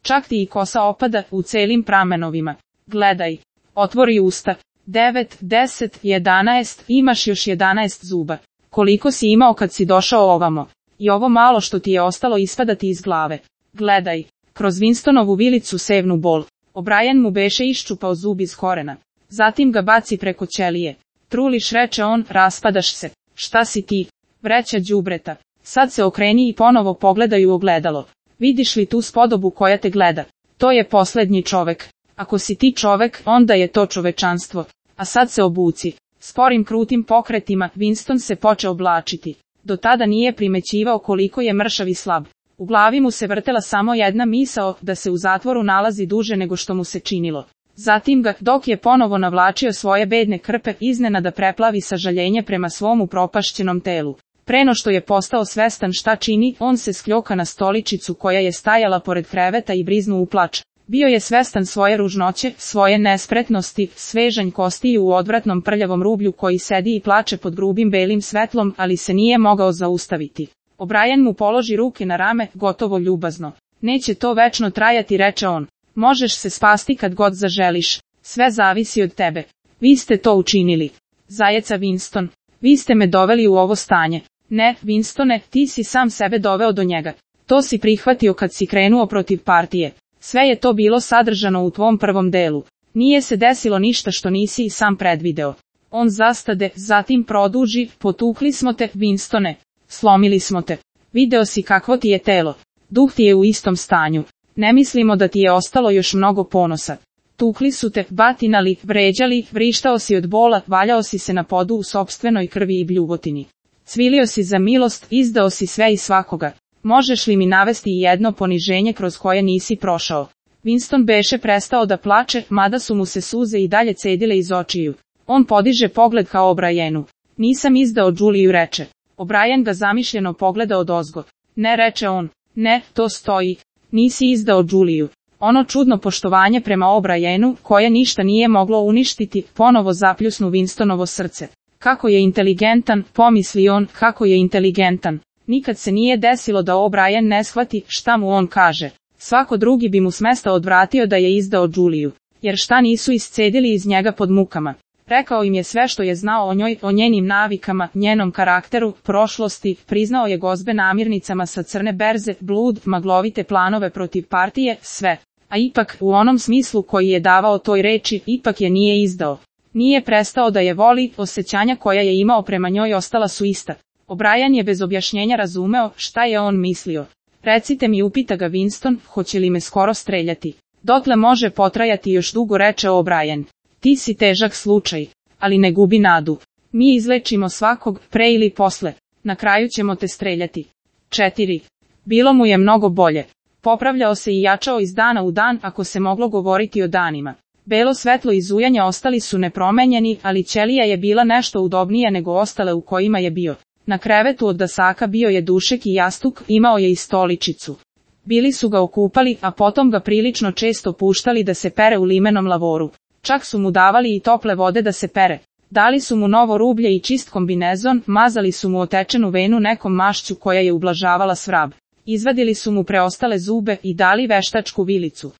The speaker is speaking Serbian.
čak ti i kosa opada u celim pramenovima. Gledaj, otvori usta. 9, 10, 11, imaš još 11 zuba. Koliko si imao kad si došao ovamo? I ovo malo što ti je ostalo ispada ti iz glave. Gledaj, kroz Winstonovu vilicu sevnu bol. O'Brien mu beše iščupao zub iz korena. Zatim ga baci preko ćelije. Truliš, reče on, raspadaš se. Šta si ti? Vreća đubreta. Sad se okreni i ponovo pogledaj u ogledalo. Vidiš li tu spodobu koja te gleda? To je poslednji čovek. Ako si ti čovek, onda je to čovečanstvo. A sad se obuci. Sporim krutim pokretima, Winston se počeo oblačiti. Do tada nije primećivao koliko je mršav i slab. U glavi mu se vrtela samo jedna misao, da se u zatvoru nalazi duže nego što mu se činilo. Zatim ga, dok je ponovo navlačio svoje bedne krpe, iznenada preplavi sažaljenje prema svom upropašćenom telu. Preno što je postao svestan šta čini, on se skljoka na stoličicu koja je stajala pored kreveta i briznu u plač. Bio je svestan svoje ružnoće, svoje nespretnosti, svežanj kostiju u odvratnom prljavom rublju koji sedi i plače pod grubim belim svetlom, ali se nije mogao zaustaviti. O'Brien mu položi ruke na rame, gotovo ljubazno. Neće to večno trajati, reče on. Možeš se spasti kad god zaželiš. Sve zavisi od tebe. Vi ste to učinili. Zajeca Winston. Vi ste me doveli u ovo stanje. Ne, Winstone, ti si sam sebe doveo do njega. To si prihvatio kad si krenuo protiv partije. Sve je to bilo sadržano u tvom prvom delu. Nije se desilo ništa što nisi i sam predvideo. On zastade, zatim produži, potukli smo te, Winstone. Slomili smo te. Video si kakvo ti je telo. Duh ti je u istom stanju. Ne mislimo da ti je ostalo još mnogo ponosa. Tukli su te, batinali, vređali, vrištao si od bola, valjao si se na podu u sopstvenoj krvi i bljuvotini. Cvilio si za milost, izdao si sve i svakoga. Možeš li mi navesti i jedno poniženje kroz koje nisi prošao? Winston beše prestao da plače, mada su mu se suze i dalje cedile iz očiju. On podiže pogled ka O'Brienu. Nisam izdao Juliju, reče. O'Brien ga zamišljeno pogleda odozgo. Ne, reče on. Ne, to stoji. Nisi izdao Juliju. Ono čudno poštovanje prema O'Brienu, koje ništa nije moglo uništiti, ponovo zapljusnu Winstonovo srce. Kako je inteligentan, pomisli on, kako je inteligentan. Nikad se nije desilo da O'Brien ne shvati šta mu on kaže. Svako drugi bi mu s mesta odvratio da je izdao Juliju. Jer šta nisu iscedili iz njega pod mukama. Rekao im je sve što je znao o njoj, o njenim navikama, njenom karakteru, prošlosti, priznao je gozbe namirnicama sa crne berze, blud, maglovite planove protiv partije, sve. A ipak, u onom smislu koji je davao toj reči, ipak je nije izdao. Nije prestao da je voli, osjećanja koja je imao prema njoj ostala su ista. O'Brien je bez objašnjenja razumeo šta je on mislio. Recite mi, upita ga Winston, hoće li me skoro streljati? Dotle može potrajati još dugo, reče O'Brien. Ti si težak slučaj, ali ne gubi nadu. Mi izlečimo svakog, pre ili posle. Na kraju ćemo te streljati. 4. Bilo mu je mnogo bolje. Popravljao se i jačao iz dana u dan, ako se moglo govoriti o danima. Belo svetlo i zujanja ostali su nepromenjeni, ali ćelija je bila nešto udobnija nego ostale u kojima je bio. Na krevetu od dasaka bio je dušek i jastuk, imao je i stoličicu. Bili su ga okupali, a potom ga prilično često puštali da se pere u limenom lavoru. Čak su mu davali i tople vode da se pere. Dali su mu novo rublje i čist kombinezon, mazali su mu otečenu venu nekom mašću koja je ublažavala svrab. Izvadili su mu preostale zube i dali veštačku vilicu.